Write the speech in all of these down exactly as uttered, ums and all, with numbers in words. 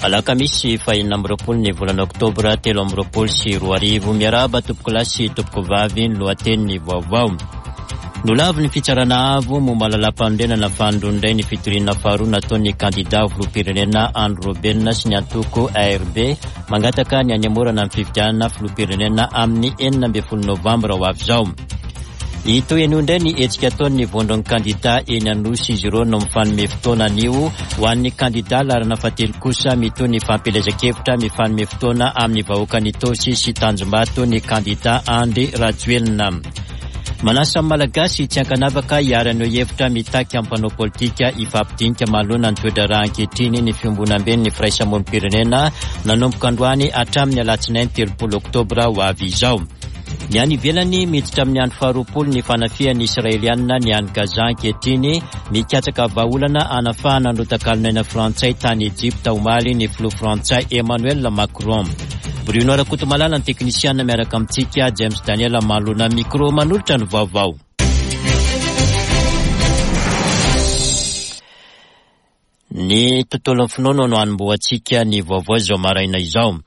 Alakamisy fahenina amby roapolo ny volana oktobra telo amby roapolo sy roa arivo. Miarahaba tompokolahy sy tompokovavy, ny lohatenin'ny vaovao. Nolavin'ny fitsarana avo momba lalàm-panorenana fanindroany indray ny fitoriana faharoa nataon'ny kandida filoham-pirenena Andry Rajoelina sy ny antoko A R B mangataka ny hanemorana ny fifidianana filoham-pirenena amin'ny enina ambin'ny folo novambra ho avy izao. Hitohy anio indray ny hetsika ataon'ny vondron'ny kandida eny Anosy. Izy ireo no mifanome fotoana anio. Ho an'ny kandida laharana fahatelo kosa, mitohy ny fampielezan-kevitra, mifanome fotoana amin'ny vahoakan'Itaosy sy Tanjombato ny kandida Andry Rajoelina. Manasa amin'ny Malagasy tsy ankanavaka hiara-haneho hevitra, mitaky amin'ny mpanao politika hifampidinika manoloana ny toe-draharaha ankehitriny ny fiombonamben'ny firaisamonim-pirenena nanomboka androany hatramin'ny alatsinainy telopolo oktobra ho avy izao. Ny any ivelany, miditra amin'ny andro faharoapolo ny fanafihan'ny Israelianina ny any Gaza ankehitriny. Mikatsaka vahaolana hanafahana ny takalon'aina frantsay tany Egypta omaly ny filoha frantsay Emmanuel Macron. Bruno Rakotomalala ny teknisiana miaraka amintsika, James Daniel manoloana micro manolotra ny vaovao. Ny tontolon'ny finoana no hanombohantsika ny vaovao izao maraina izao.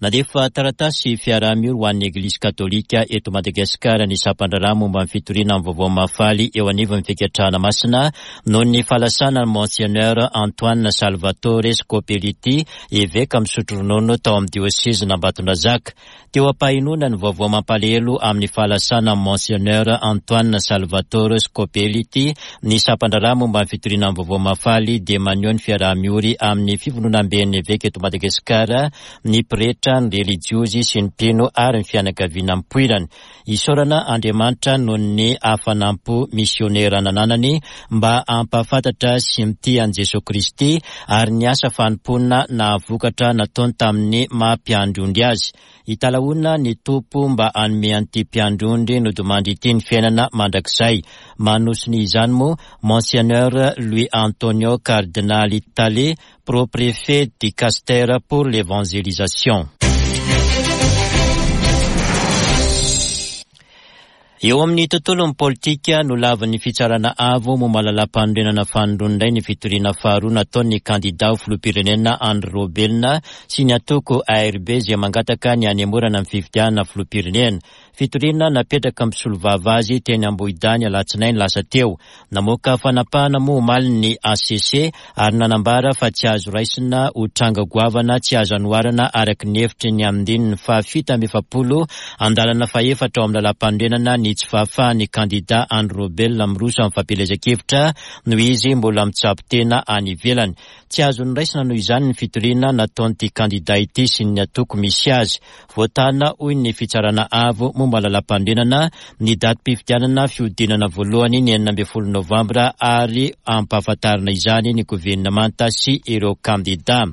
Nandefa taratasy fiaraha-miory ho an'ny Eglizy Katolika eto Madagasikara ny sampan-draharaha momba ny fitoriana ny vaovao mahafaly eo anivon'ny Fikatrahana Masina noho ny fahalasana ny Monseigneur Antoine Salvatore Scopelliti, eveka misotro ronono tao amin'ny diôsezin'Ambatondrazaka. Teo am-pahenoana ny vaovao mampalahelo amin'ny fahalasana Monseigneur Antoine Salvatore Scopelliti, ny sampan-draharaha momba ny fitoriana ny vaovao mahafaly dia maneho ny fiaraha-miory amin'ny fivondronamben'ny eveka eto Madagasikara, ny pretra, ny relijiozy sy ny mpino ary ny fianakaviana mipoirany. Isaorana Andriamanitra noho ny hafanam-po misionera nananany mba hampahafantatra sy mitia an'i Jesosy Kristy ary ny asa fanompoana nahavokatra nataony tamin'ny maha mpiandry ondry azy. Italahoana ny Tompo mba hanome an'ity mpiandry ondry nodimandry ity ny fiainana mandrakizay. Manosony izany moa Monseigneur Louis Antonio Cardinal Tale, pro-préfet dicastère pour l'évangélisation. Eo amin'ny tontolon'ny politika, nolavin'ny fitsarana avo momba lalàm-panorenana fanindroany indray ny fitoriana faharoa nataon'ny kandida ho filoham-pirenena Andry Rajoelina sy ny antoko A R B izay mangataka ny hanemorana ny fifidianana filoham-pirenena. Fitoriana napetraka mpisolovava azy teny Ambohidany alatsinainy lasa teo. Namoaka fanapahana moa omaly ny H C C ary nanambara fa tsy azo raisina ho tranga goavana tsy azo anoharana araka ny hevitry ny andininy fahafito amby efapolo andalana fahefatra ao amin'ny lalàm-panorenana ny tsy fahafahan'ny kandida Andry Rajoelina miroso amin'ny fampielezan-kevitra noho izy mbola mitsabo tena any ivelany. Tsy azo noraisina noho izany ny fitoriana nataon'ity kandida ity sy ny antoko misy azy. Voatana, hoy ny fitsarana avo momba lalàm-panorenana, ny datim-pifidianana fihodinana voalohany ny enina ambin'ny folo novambra ary ampahafantarina izany ny governemanta sy ireo kandida.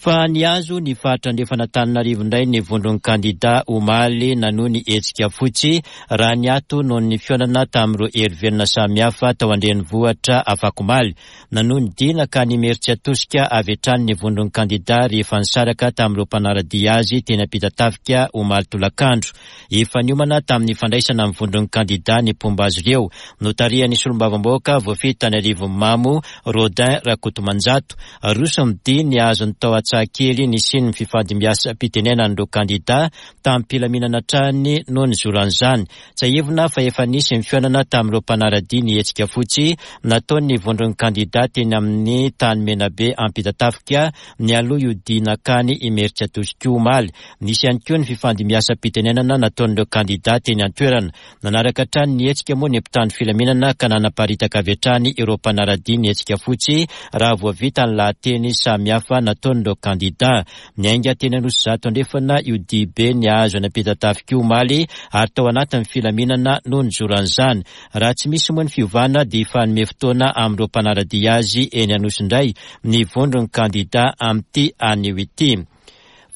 Fa nihazo ny faritra andrefan'Antananarivo indray ny vondron'ny kandida omaly nanohy ny hetsika fotsy raha niato noho ny fihaonana tamin'ireo hery velona samihafa tao an-drenivohitra afakomaly. Nanohy ny dina ka Imerintsiatosika avy hatrany ny vondron'ny kandida rehefa nisaraka tamin'ireo mpanara-dia azy teny Ampitatafika omaly tolakandro. Efa niomana tamin'ny fandraisana ny vondron'ny kandida ny mpomba azy ireo. Notarihan'ny solombavambahoaka voafidy tany Arivonimamo, Rodin Rakotomanjato. Roso ny dia nihazo ny tao Antsahakely nisian'ny fifandimbiasam-pitenenan'ireo kandida tamin'ny-pilaminana hatrany noho ny zoran'izany. Tsiahivina fa efa nisy ny fihaonana tamin'ireo mpanara-dia ny hetsika fotsy nataon'ny vondron'ny kandida teny amin'ny tany Menabe Ampitatafika nialoha io dinakany Imerintsiatosika omaly. Nisy ihany koa ny fifandimbiasam-pitenenana nataon'ireo kandida teny an-toerana. Nanaraka hatrany ny hetsika moa ny mpitandro filaminana ka nanaparitaka avy hatrany ireo mpanara-dia ny hetsika fotsy raha voavita ny lahateny samihafa nataon'ireo kandida. Niainga teny Anosizato Andrefana io dibe nihazo any Ampitatafika omaly ary tao anatin'ny filaminana noho ny zoran'izany. Raha tsy misy moa ny fiovana dia hifanome fotoana amin'ireo mpanara-dia azy eny Anosy indray ny vondron'ny kandida amin'ity anio ity.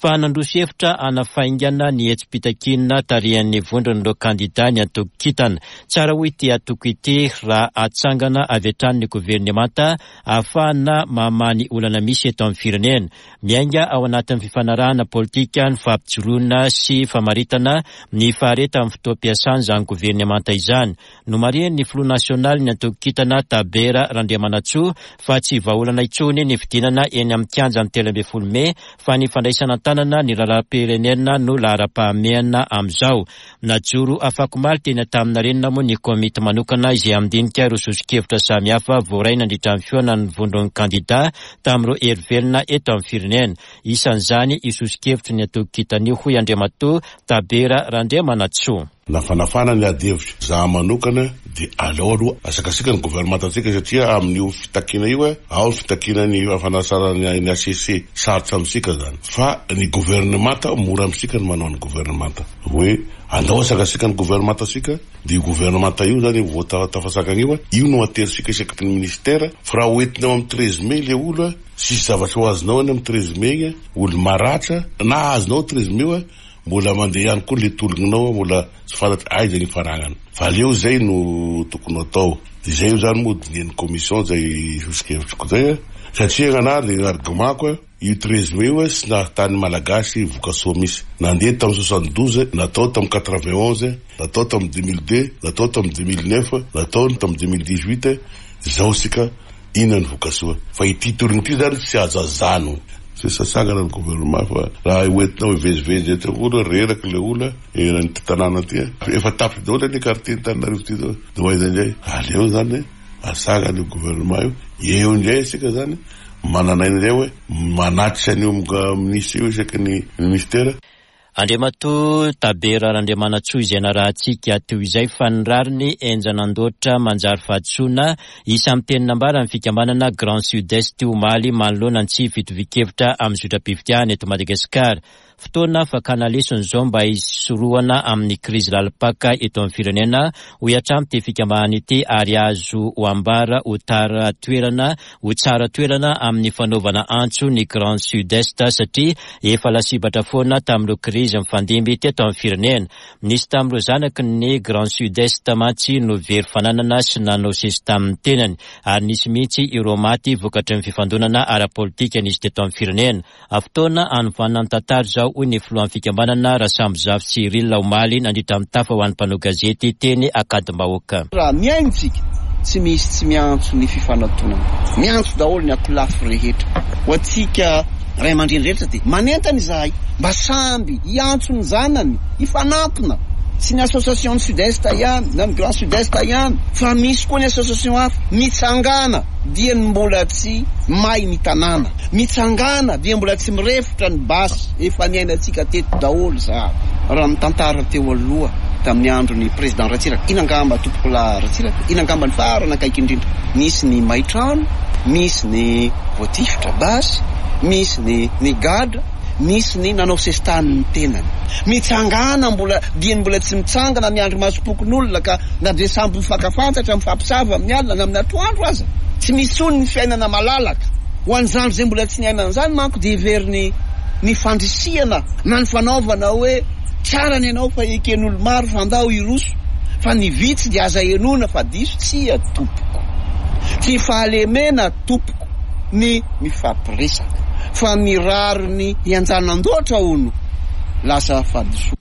Fa nandroso hevitra hanafaingana ny hetsi-pitakiana tarihan'ny vondron'ireo kandida ny antoko Kintana. Tsara hoy ity antoko ity raha atsangana avy hatrany ny governemanta ahafahana mamaha ny olana misy eto amin'ny firenena. Miainga ao anatin'ny fifanarahana politika ny fampijoroana sy famaritana ny faharetan'ny fotoam-piasana izany governemanta izany. Nomarihan'ny filoha nasionaly ny antoko Kintana Tabera Randriamanantsoa fa tsy vahaolana intsony ny fidinana eny amin'ny kianjan'ny telo ambin'ny folo mey fa ny fandraisana an-tanana ny raharaham-pirenena no laharam-pahamehana amin'izao. Najoro afakomaly teny Antaninarenina moa ny komity manokana izay handinika ireo soso-kevitra samihafa voaray nandritra ny fihaonan'ny vondron'ny kandida tamin'ireo hery velona eto amin'ny firenena. Isan'izany io soso-kevitry ny antoko Kintana io hoy Andriamatoa Tabera Randriamanantsoa. Nafanafana ny ady hevitra za manokana dia aleo aloha asakasika ny governemantantsika satria amin'io fitakiana io ao ny fitakiana ny fanasarana ny H C C sarotra amintsika zany fa ny governemanta mora amintsika ny manao ny governemanta hoe andao asakasika ny governemantantsika dia io governemanta io zany vao tafasakana io io no ateritsika isaky ny ministera fa raha hoentinao amin'ny treize mai le olo tsisy zavatra ho azonao any amin'ny treize mai olo maratra na azonao treize mai mbola mandeha ihany koa le tolonao mbola tsy fantatra aiza ny faragnana fa aleo zay no tokony atao izay io zany moa dinihan'ny commission zay soso-kevitriko zay satria gnanahy le argument-ko io treize mai io sy nahatany malagasy vokasoa misy nandeha tamin'ny soixante douze natao tamin'ny quatre vingt onze natao tamin'ny deux mille deux natao tamin'ny deux mille neuf natao tamin'ny deux mille dix huit zao sika inona ny vokasoa fa ity tolona ity zany tsy azo azano tsy sasangana ny gouvernement fa raha hoentinao hivezivezy eto olo reraka le olo eran'ny tanàna ty efa tapitra daholo ny quartier Antananarivo ty zao de ho aiza indray aleo zany asangana io gouvernement io eo indray isika zany manana aina indray hoe manatitra an'io ministre io isaky ny ministera. Andriamatoa Tabera Randriamanantsoa izay narahantsika teo izay fa ny rariny enjanan-doatra manjary fahadisoana isan'ny teny nambaran'ny fikambanana Grand Sud-Est omaly manoloana ny tsy fitovian-kevitra amin'ny zotram-pifidianana eto Madagasikara. Fotoana fakana lesona izao mba hisorohana amin'ny krizy lalim-paka eto amin'ny firenena hoy hatrany ity fikambanana ity ary azo ho ambara ho tara toerana ho tsara toerana amin'ny fanaovana antso ny Grand Sud-Est satria efa lasibatra foana tamin'ireo krizy mifandimby teto amin'ny firenena. Nisy tamin'ireo zanaky ny Grand Sud-Est mantsy no very fananana sy nanao sesy tamin'ny tenany ary nisy mihitsy ireo maty vokatry ny fifandonana ara-politika nisy teto amin'ny firenena. Fotoana hanovanana ny tantara izao hoy ny filohan'ny fikambanana Rasambozafy Cyril omaly nandritra ny tafa ho an'ny mpanao gazety teny Ankadimbahoaka. Raha mihaino tsika tsy misy tsy miantso ny fifanatonana, miantso daholo ny akolafy rehetra. Ho antsika ray aman-dreny rehetra dia manentana izahay mba samby hiantso ny zanany hifanampina, tsy ny association Sud-Est ihany na ny Grand Sud-Est ihany fa misy koa ny association hafa. Mitsangana dia ny mbola tsy may ny tanàna, mitsangana dia mbola tsy mirefotra ny basy efa niainantsika teto daholo za. Raha mitantara teo aloha tamin'ny andron'ny président Ratsiraka, ina angamba tompokolahy Ratsiraka, ina angamba ny farany akaiky indrindra, misy ny may trano, misy ny voatifitra basy, misy ny ny gadra, misy ny nanao sesitany ny tenany. Mitsangana mbola dia mbola tsy mitsangana miandry masom-pokon'olona ka na dia samby mifankafantatra mifampisava amin'ny alina na amin'ny atoandro aza tsy misy intsony ny fiainana malalaka. Ho an'izany izay mbola tsy niainana izany manko dia heveriny ny fandrisihana na ny fanaovana hoe tsara ny ianao fa eken'olo maro fa andao hiroso fa ny vitsy dia aza henoina fa diso. Tsia tompoko, tsy fahalemena tompoko ny mifampiresaka fa ny rariny hianjanan-doatra hono lasa fahadisoana.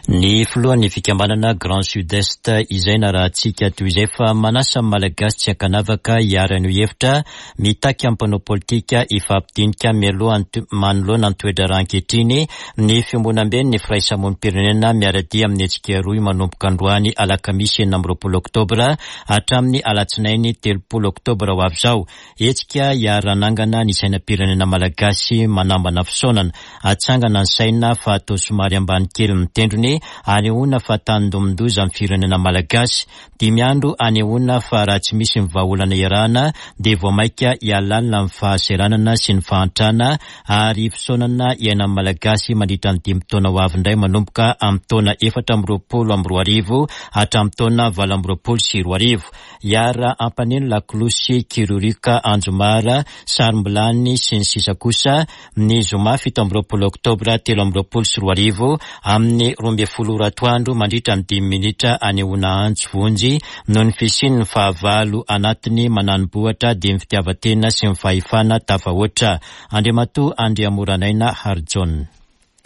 Ny filohan'ny fikambanana Grand Sud-Est izay narahantsika toy izay fa manasa ny Malagasy tsy ankanavaka hiara-ny hevitra mitaky amin'ny mpanao politika hifampidinika mialoha manoloana ny toe-draharaha ankehitriny ny fiombonamben'ny firaisamonim-pirenena miara-dia amin'ny hetsika roa manomboka androany alakamisy enina amby roapolo oktobra hatramin'ny alatsinainy telopolo oktobra ho avy izao. Hetsika hiara-nangana ny sainam-pirenena malagasy manambana fisaonana atsangana ny saina fa atao somary ambany kely ny tendrony androany anehoana fa tandindomin-doza amin'ny firenena malagasy. Dimy andro anehoana fa raha tsy misy ny vahaolana iarahana dia vao mainka hialalina amin'ny fahasahiranana sy ny fahantrana ary fisaonana iainan'ny malagasy mandritra ny dimy taona ho avy indray manomboka amin'ny taona efatra amby roapolo amby roa arivo hatramin'ny taona valo amby roapolo sy roa arivo. Hiara ampaneno lakolosy, kirorioka, anjomara, sarom-bilany sy ny sisa kosa ny zoma fito amby roapolo oktobra telo amby roapolo sy roa arivo amin'ny roa ambin'ny folo ora atoandro mandritra ny dimy minitra anehoana antso vonjy noho ny fisian'ny fahavalo anatiny manani-bohitra dia ny fitiavan-tena sy ny fahefana tafahoatra. Andriamatoa Andriamoranaina Harijaona.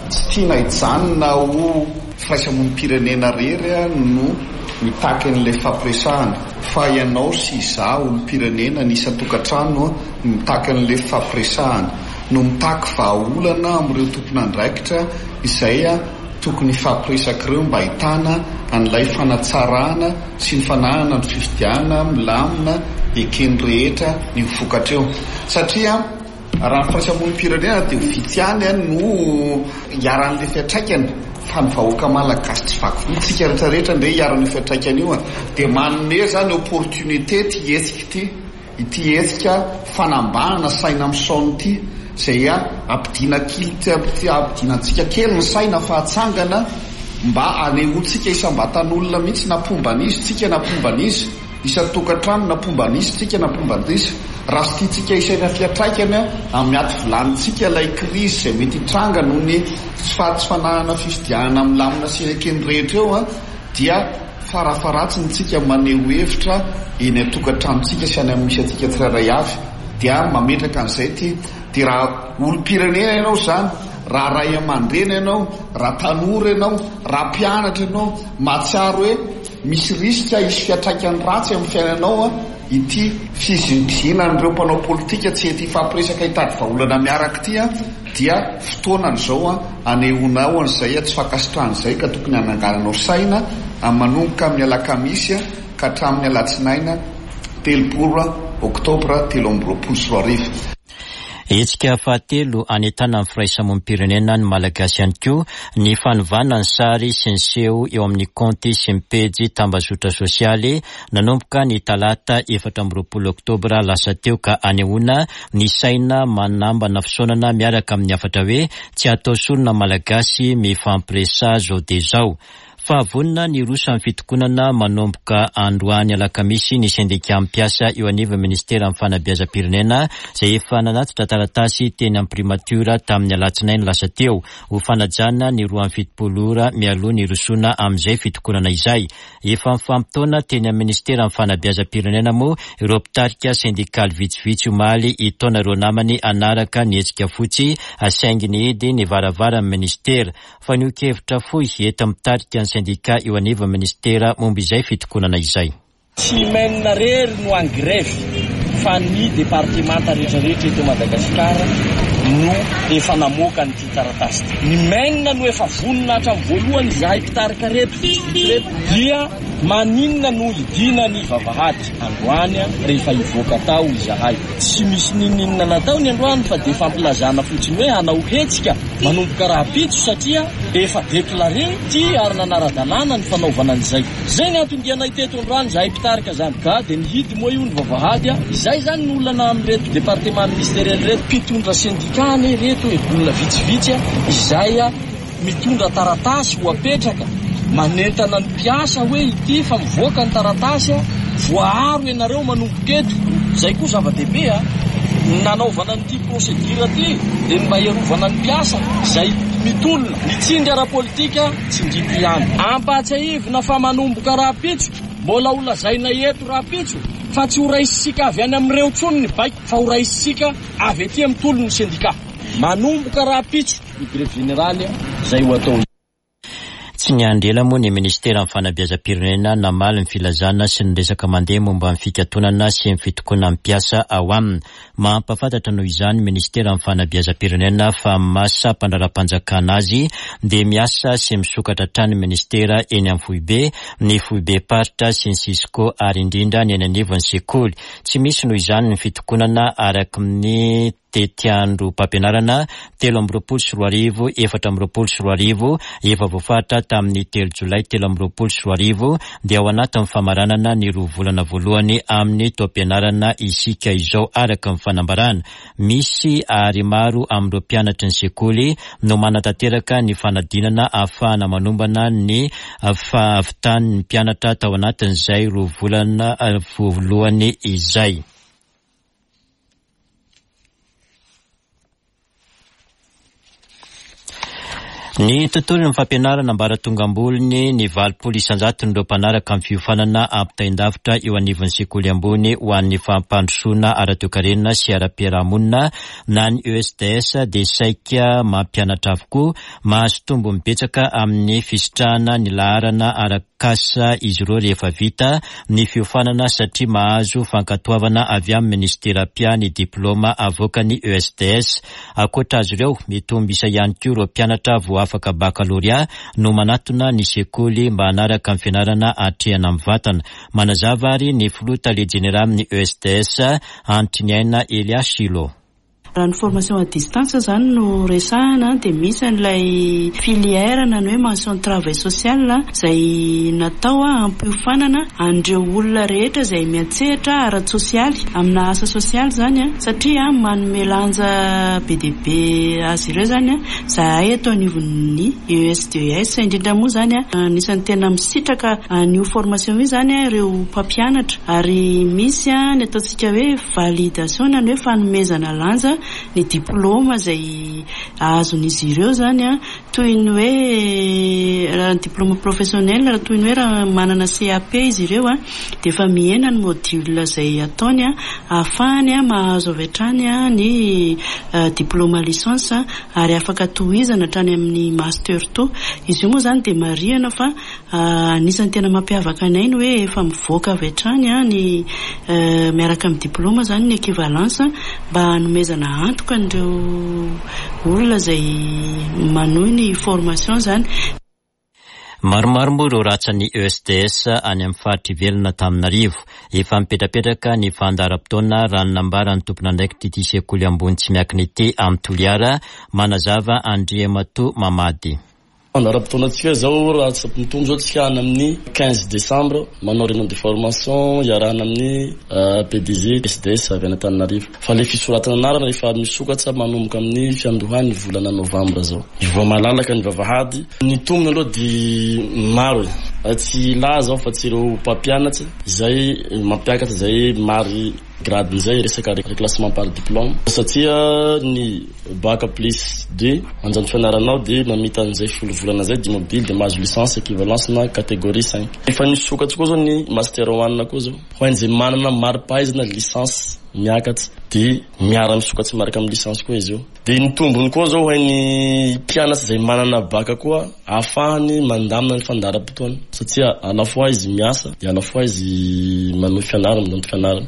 Tsy tiana hijanona ho firaisamonim-pirenena rery no mitaky an'ilay fampiresahana, fa ianao sy izaho olom-pirenena ny isan-tokantrano no mitaky an'ilay fampiresahana, no mitaky vahaolana amin'ireo tompon'andraikitra izay tokony hifampiresaka ireo mba ahitana an'ilay fanatsarana sy ny fananana ny fifidianana milamina eken'ny rehetra ny ho vokatra eo. Satria raha ny firaisamonim-pirenena dia ho vitsy ihany no hiaran'ilay fiantraikany, fa ny vahoaka malagasy tsy vaky volo tsika rehetrarehetra ndre hiaran'io fiantraikany io, dia manome zany opportunité ty hetsika ity, ity hetsika fanambanana saina misaona ity, izay ampidina kely, ampidina antsika kely ny saina fa atsangana mba anehoantsika isam-batan'olona mihitsy na mpomba an'izy tsika na mpomba an'izy, isan-tokantrano na mpomba an'izy tsika na mpomba an'izy. Raha tsy tiantsika isaina fiantraikany amin'ny aty vilanintsika ilay krizy izay mety hitranga noho ny tsy fananana fifidianana milamina sy eken'ny rehetra eo, dia farafaharatsiny tsika maneho hevitra eny an-tokantranontsika sy any amin'ny misy antsika tsirairay avy, dia mametraka an'izay ity. Dia raha olom-pirenena ianao izany, raha ray aman-dreny ianao, raha tanora ianao, raha mpianatra ianao, mahatsiaro hoe misy risika hisy fiantraikany ratsy amin'ny fiainanao ity fizingizinan'ireo mpanao politika tsy hety hifampiresaka hitady vahaolana miaraka ity, dia fotoanany izao anehoanao an'izay tsy fankasitrahana izay, ka tokony hanangananao saina manomboka amin'ny alakamisy ka hatramin'ny alatsinaina telopolo oktobra telo amby roapolo sy roa arivo. Hetsika fahatelo anentanana ny firaisamonim-pirenena ny malagasy ihany koa ny fanovana ny sary sy ny seho eo amin'ny kaonty sy ny pejy tambazotra sosialy nanomboka ny talata efatra amby roapolo oktobra lasa teo, ka anehoana ny saina manambana fisaonana miaraka amin'ny hafatra hoe tsy atao sorona malagasy mifampiresaha zao dia zao. Fahavonona ny roso amin'ny fitokonana manomboka androany alakamisy ny sendika mpiasa eo anivon'ny ministeran'ny fanabeazam-pirenena izay efa nanatitra taratasy teny amin'ny primatiora tamin'ny alatsinainy lasa teo ho fanajana ny roa amby fitopolo ora mialoha ny rosoana amin'izay fitokonana izay. Efa mifampitaona teny amin'ny ministeran'ny fanabeazam-pirenena moa ireo mpitarika sendikaly vitsivitsy omaly hitaona ireo namany hanaraka ny hetsika fotsy saingy nihidy ny varavaran'ny ministera. Fanehoan-kevitra fohy eto mitarika ny sendika eo anivon'ny ministera momba izay fitokonana izay. Tsy MEN rery no en grève fa ny departemanta rehetrarehetra eto Madagasikara no efa namoaka an'ity taratasy ity. Ny MEN no efa vonona hatramin'ny voalohany izahay mpitarika reto vitsivitsy reto dia maninona no hidina ny vavahady androany rehefa hivoaka tao izahay. Tsy misy nininona nataony androany fa dia fampilazana fotsiny hoe hanao hetsika manomboka rahampitso satria efa déclaré ty ary nanara-dalàna ny fanaovana an'izay. Zay ny anton-dianay teto androany izahay mpitarika zany. Ka dia nihidy moa io ny vavahady. Izay zany ny olana amin'ireto département ministériel ireto, mpitondra sendika ane ireto e, olona vitsivitsy izay mitondra taratasy ho apetraka manentana ny mpiasa hoe ity fa mivoaka ny taratasy voaaro ianareo manomboka eto. Izay koa zava-dehibe a nanaovana an'ity procédure ity dia ny mba hiarovana ny mpiasa izay mitolona ny tsindry ara-politika tsindriko ihany. Ampahatsiahivina fa manomboka rahampitso, mbola ho lazaina eto rahampitso fa tsy ho raisitsika avy any amin'ireo intsony ny baiko fa ho raisitsika avy aty amin'ny tolon'ny sendika. Manomboka rahampitso ny grève générale izay ho atao. Tsy niandry ela moa ny ministeran'ny fanabeazam-pirenena namaly ny filazana sy ny resaka mandeha momba ny fikatonana sy ny fitokonan'ny mpiasa ao aminy. Mampahafantatra noho izany ministeran'ny fanabeazam-pirenena fa masa mpandraharaha-panjakana azy dia miasa sy misokatra hatrany ministera eny amin'ny foibe, ny foibe-paritra sy ny Cisco ary indrindra ny eny anivon'ny sekoly. Tsy misy noho izany ny fitokonana araka ny tetiandrom-pampianarana telo amby roapolo sy roa arivo efatra amby roapolo sy roa arivo efa voafaritra tamin'ny telo jolay telo amby roapolo sy roa arivo dia ao anatin'ny famaranana ny roa volana voalohany amin'ny taom-pianarana isika izao araka ny fanambarana. Misy ary maro amin'ireo mpianatry ny sekoly no manatanteraka ny fanadinana ahafahana manombana ny fahavitan'ny mpianatra tao anatin'izay roa volana voalohany izay. Ny tontolon'ny fampianarana ambaratonga ambolony ny valopolo isan-jaton'ireo mpanaraka amin'ny fiofanana ampitain-davitra eo anivon'ny sekoly ambony ho an'ny fampandrosoana ara-toekarena sy ara-piarahamonina na ny E S D S dia saika mampianatra avokoa. Mahazo tombony betsaka amin'ny fisitrahana ny laharana arak'asa izy ireo rehefa vita ny fiofanana satria mahazo fankatoavana avy amin'ny ministeram-piahy ny diplôma avoakan'ny E S D S. Ankoatra azy ireo, mitombo isa ihany koa ireo mpianatra voa afaka bakalorea no manatona ny sekoly mba hanaraka ny fianarana atrehana amin'ny vatana. Manazava ary ny filoha tale jeneralin'ny E S D S Antriniaina Elias Shilo. Raha ny formation à distance zany no resahana dia misy an'ilay filière na ny hoe mention travail social izay natao hampiofanana an'ireo olona rehetra izay miantsehatra ara-tsosialy amina asa sosialy zany a, satria manome lanja be dia be azy ireo zany a zahay eto anivon'ny E S D S indrindra moa zany a anisan'ny tena misitraka an'io formation io zany a ireo mpampianatra ary misy a ny ataontsika hoe validation na ny hoe fanomezana lanja ny diplôma izay azon'izy ireo zany a, toy ny hoe raha ny diplôme professionnel, raha toy ny hoe raha manana C A P izy ireo a, dia efa mihena ny module izay ataony a, ahafahany a mahazo avy hatrany a ny diplôme licence ary afaka tohizana hatrany amin'ny master two. Izy io moa zany dia marihana fa anisan'ny tena mampiavaka anay ny hoe efa mivoaka avy hatrany a ny miaraka amin'ny diplôme zany ny équivalence mba hanomezana antoka an'ireo olona izay manohy ny formation zany. Maromaro moa ireo ratsan'ny E S D S any amin'ny faritra ivelona Antananarivo. Efa mipetrapetraka ny fandaharam-potoana raha ny nambaran'ny tompon'andraikitra ity sekoly ambony tsy miankina ity amin'ny Toliara, manazava Andriamatoa Mamady. Fandaharam-potoanantsika zao raha tsy mitombo zao tsika any amin'ny quinze décembre manao réunion de formation iarahana amin'ny P D G S D S avy any Antananarivo. Fa le fisoratana anarana efa misokatra manomboka amin'ny fiandohan'ny volana novambra zao. Mivoa malalaka ny vavahady. Ny tombony aloha dia maro e. Tsy ilaza aho fa tsy ireo mpampianatra izay mampiakatra izay mary grade izay resaka reclassement par diplôme satria ny bac plus deux anjanto fianaranao dia mamita an'izay folo volana zay dia mobile dia mahazo licence équivalence na catégorie cinq. Efa nisokatra koa zao ny master one koa zao ho an'izay manana mari-pahaizana licence miakatra dia miara misokatra miaraka amin'ny licence koa izy io. Dia ny tombony koa zao ho an'ny mpianatra izay manana bac koa ahafahany mandamina ny fandaharam-potoana satria à la fois izy miasa dia à la fois izy manohy fianarana mananto fianarana.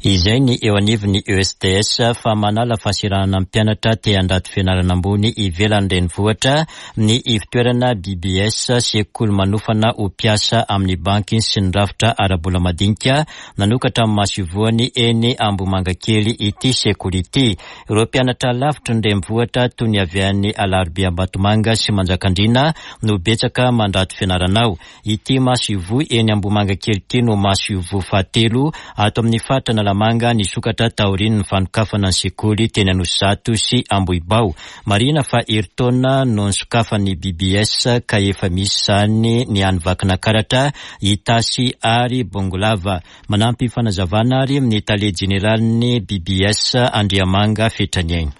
Izay ny eo anivon'ny E S D S fa manala fahasahiranana ny mpianatra te handrato fianarana ambony ivelan'ny renivohitra ny ivontoerana B B S sekoly manofana ho mpiasa amin'ny banky sy ny rafitra ara-bola madinika nanokatra amin'ny masoivohany eny Ambohimangakely ity sekoly ity. Ireo mpianatra lavitry ny renivohitra toy ny avy any Alarobia Ambatomanga sy Manjakandriana no betsaka mandrato fianarana ao. Ity masoivoho eny Ambohimangakely ity no masoivoho fahatelo ato amin'ny faritra Analamanga nisokatra taorian'ny fanokafana ny sekoly teny Anosizato sy Ambohibao. Marihina fa herintaona no nisokafan'ny B B S ka efa misy izany ny any Vakinakaratra, Itasy ary Bongolava. Manampy fanazavana ary ny tale jeneralin'ny B B S Andriamanga Fetraniaina.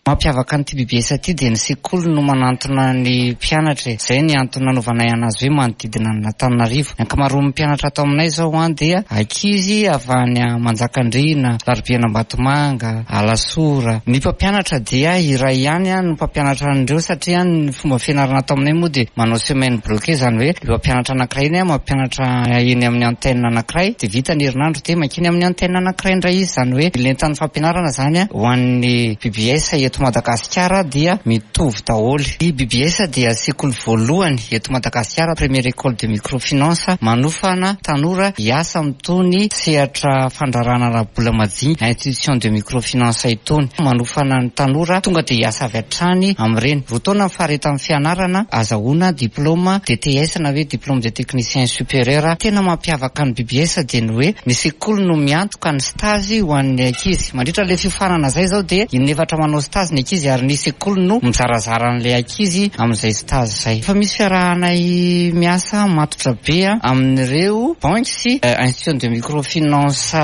Mampiavaka an'ity B B S ity dia ny sekoly no manantona ny mpianatra. Izay ny antony nanaovanay anazy hoe manodidina an'Antananarivo. Ny ankamaroan'ny mpianatra ato aminay izao an dia ankizy avy any Manjakandriana, Alarobia Ambatomanga, Alasora. Ny mpampianatra dia iray ihany no mpampianatra an'ireo satria ny fomba fianarana ato aminay moa dia manao semaine bloquée, izany hoe ny mpampianatra anankiray iny mampianatra eny amin'ny antenne anankiray dia vita ny herinandro dia mankeny amin'ny antenne anankiray indray izy. Izany hoe lentan'ny fampianarana izany ho an'ny B B S eto eto Madagasikara dia mitovy daholo. Ny B B S dia sekoly voalohany eto Madagasikara, première école de microfinance, manofana tanora hiasa amin'itony sehatra fandraharahana ara-bola madinika, institution de microfinance itony. Manofana ny tanora tonga dia hiasa avy hatrany amin'ireny. Roa taona ny faharetan'ny fianarana, azahoana diplôme D T S na hoe diplôme de technicien supérieur. Tena mampiavaka ny B B S dia ny hoe ny sekoly no miantoka ny stage ho an'ny ankizy. Mandritra ilay fiofanana izay izao dia inefatra manao stage ny ankizy ary ny sekoly no mizarazara an'ilay ankizy amin'izay stage izay. Fa misy fiarahanay miasa matotra be amin'ireo banky sy institution de microfinance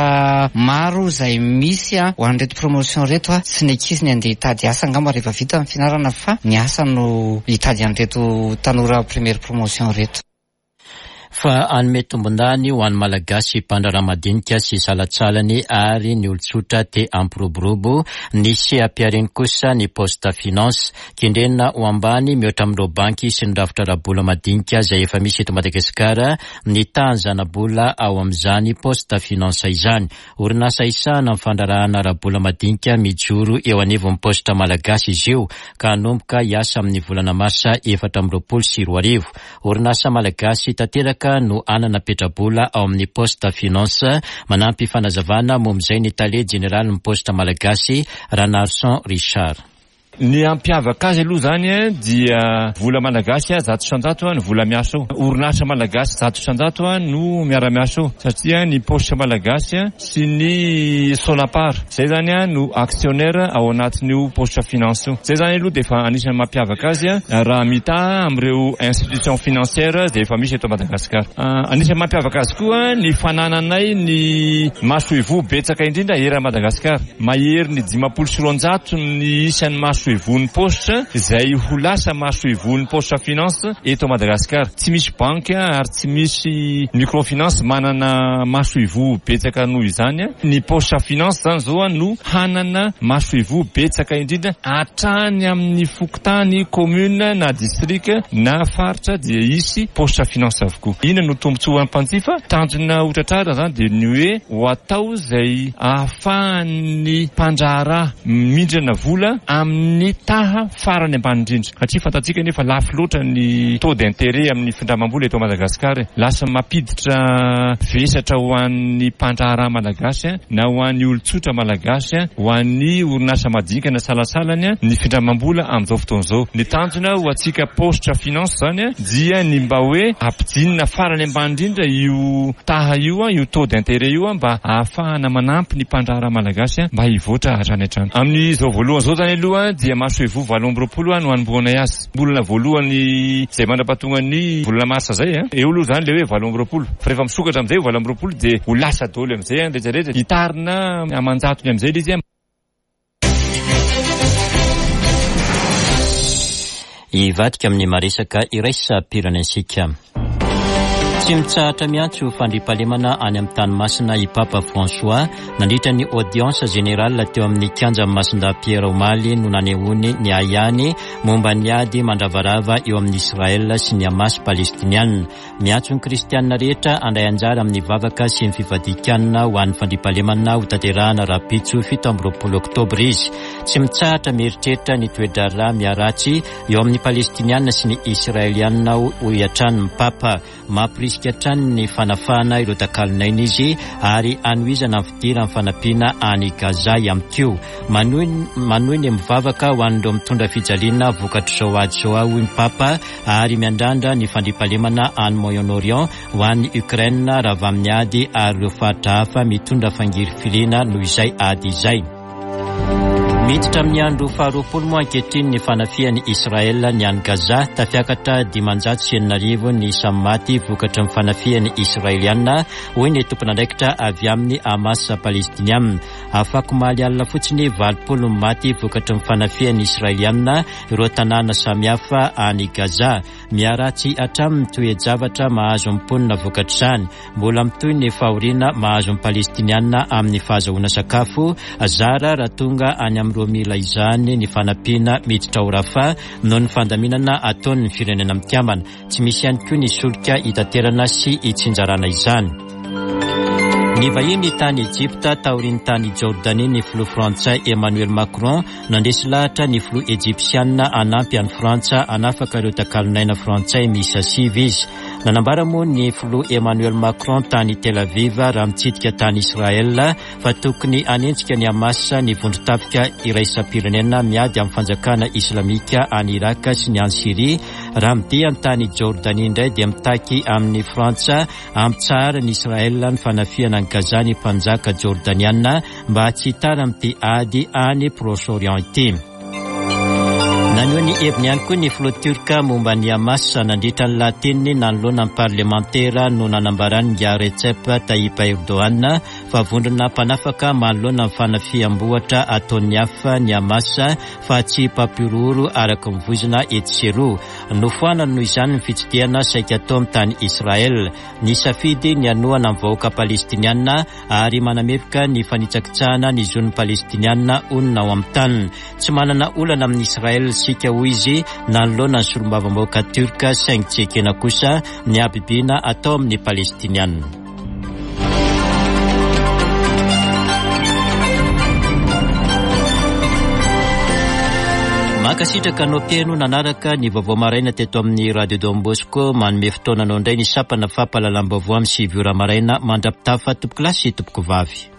maro izay misy ho an'ireto promotion ireto. Tsy ny ankizy ny andeha hitady asa angamba rehefa vita ny fianarana fa ny asa no hitady an'ireto tanora première promotion ireto. Fa hanome tombondany ho an'ny Malagasy mpandraharaha madinika sy salatsalany ary ny olon-tsotra te hampiroborobo ny seha-piariny kosa ny Poste Finance. Kendrena ho ambany mihoatra amin'ireo banky sy ny rafitra ara-bola madinika izay efa misy eto Madagasikara ny tahan'ny ao amin'izany Poste Finance izany. Orinasa isahana ny fandraharahana ara-bola madinika mijoro eo anivon'ny Poste Malagasy izy io ka hanomboka hiasa amin'ny volana marsa efatra amby roapolo sy roa arivo. Orinasa Malagasy tanteraka no anana petrabola ao amin'ny Poste Finance. Manampy fanazavana momba izay ny tale jeneralin'ny Poste Malagasy, Ranarison Richard. Ny ampiavaka azy aloha zany dia vola malagasy zato isan-jato ny vola miasa ao. Orinasa malagasy zato isan-jato no miara-miasa ao satria ny Poste Malagasy sy ny Sonapar zay zany no actionnaire ao anatin'io Poste Finance io. Zay zany aloha dia efa anisan'ny mampiavaka azy raha mitaha amin'ireo institution financière zay efa misy eto Madagasikara. Anisan'ny mampiavaka azy koa ny fanananay ny masoivoho betsaka indrindra eran'i Madagasikara. Mahery ny dimampolo sy roanjato ny isan'ny maso masoivohon'ny Poste izay ho lasa masoivohon'ny Poste Finance eto Madagasikara. Tsy misy banky ary tsy misy microfinance manana masoivoho betsaka noho izany. Ny Poste Finance zany zao no hanana masoivoho betsaka indrindra hatrany amin'ny fokontany, commune na district na faritra dia hisy Poste Finance avokoa. Inona no tombontsoa mpanjifa? Tanjona ho tratrarina zany dia ny hoe ho atao izay ahafahan'ny mpandraharaha mindrana vola amin'ny ny taha farany ambany indrindra. Satria fantatsika nefa lafo loatra ny taux d'intérêt amin'ny findramam-bola eto Madagasikara. Lasa mampiditra vesatra ho an'ny mpandraharaha malagasy na ho an'ny olon-tsotra malagasy, ho an'ny orinasa madinika na salasalany ny findramam-bola amin'izao fotoana izao. Ny tanjona ho antsika Poste Finance zany dia ny mba hoe ampidinina farany ambany indrindra io taha io, io taux d'intérêt io mba ahafahana manampy ny mpandraharaha malagasy mba hivoatra hatrany hatrany. Amin'izao voalohany izao zany aloha dia masoivoho valo amby roapolo no anombohanay azy. Volana voalohany izay mandra-pahatonga ny volana marsa zay, eo aloha zany le hoe valo amby roapolo. Fa rehefa misokatra amin'izay valo amby roapolo dia ho lasa daholo amin'izay rehetra rehetra. Hitarina aman-jatony amin'izay ilay izy. Hivadika amin'ny maresaka iraisam-pirenentsika. Tsy mitsahatra miantso fandriampahalemana any amin'ny tany masina i Papa François. Nandritra ny audience générale teo amin'ny kianja Masindahy Pierre omaly no nanehoany ny ahiany momba ny ady mandravarava eo amin'ny Israël sy ny Hamas palestiniana. Miantso ny kristianina rehetra handray anjara amin'ny vavaka sy ny fivadikanina ho an'ny fandriampahalemana ho tanterahana rahampitso fito amby roapolo oktobra izy. Tsy mitsahatra mieritreritra ny toe-draharaha miharatsy eo amin'ny palestiniana sy ny israeliana hoy hatrany ny Papa. Mampirisika hatrany ny fanafahana ireo takalon'aina izy ary hanohizana ny fidirana ny fanampiana any Gaza ihany koa. Manohy manohy ny mivavaka ho an'ireo mitondra fijaliana vokatr'izao ady izao hoy ny Papa ary miandrandra ny fandriampahalemana any Moyen-Orient ho an'ny Ukraine raha amin'ny ady ary ireo faritra hafa mitondra fangirifiriana noho izay ady izay. Miditra amin'ny andro faharoapolo moa ankehitriny ny fanafihan'i Israël ny any Gaza. Tafiakatra dimanjato sy enina arivo ny isan'ny maty vokatry ny fanafihan'ny Israeliana hoy ny tompon'andraikitra avy amin'ny Hamas palestiniana. Afakomaly alina fotsiny valopolo ny maty vokatry ny fanafihan'ny Israeliana ireo tanàna samihafa any Gaza. Miharatsy hatramin'ny toe-javatra mahazo ny mponina vokatr'izany. Mbola mitohy ny fahoriana mahazo ny palestiniana amin'ny fahazahoana sakafo zara raha tonga any amin'ireo mila izany ny fanampiana miditra ao Rafah noho ny fandaminana ataon'ny firenena mikambana. Tsy misy ihany koa ny solika hitaterana sy hitsinjarana izany. Nivahiny tany Ejipta taorian'ny tany Jordanie ny filoha frantsay Emmanuel Macron. Nandresy lahatra ny filoha ejipsianina hanampy an'i Frantsa hanafaka ireo takalonaina frantsay miisa sivy izy. Nanambara moa ny filoha Emmanuel Macron tany Tel Aviv raha mitsidika tany Israel fa tokony hanenjika ny Hamas ny vondron-tafika iraisam-pirenena miady amin'ny fanjakana islamika any Irak sy ny any Syria. Raha midia tany Jordanie indray dia mitaky amin'ny Frantsa hampitsahara ny Israel ny fanafihana ny Gaza ny mpanjaka jordaniana mba tsy hitara amin'ity ady any Proche-Orient ity. Naneho ny heviny ihany koa ny filoha turka momba ny Hamas nandritra ny lahateniny nanoloana ny parlemantera no nanambarany nga Recep Tayyip Erdogan fa vondrona mpanafaka manoloana ny fanafiham-bohitra ataon'ny hafa ny Hamas fa tsy mpampihorohoro araka ny voizina etsy sy eroa. Nofoanany noho izany ny fitsidihana saika ataony tany Israel. Nisafidy ny hanohana ny vahoaka palestiniana ary manameloka ny fanitsakitsahana ny zon'ny palestiniana honina ao amin'ny taniny. Tsy manana olana amin'ny Israel isika hoy izy nanoloana ny solombavambahoaka turka, saingy tsy ekena kosa ny habibiana atao amin'ny palestiniana. Mankasitraka anao mpihaino nanaraka ny vaovao maraina teto amin'ny Radio Don Bosco. Manome fotoana anao indray ny sampana fampahalalam-baovao amin'ny sivy ora maraina. Mandra-pitafa tompoko lahy sy tompoko vavy.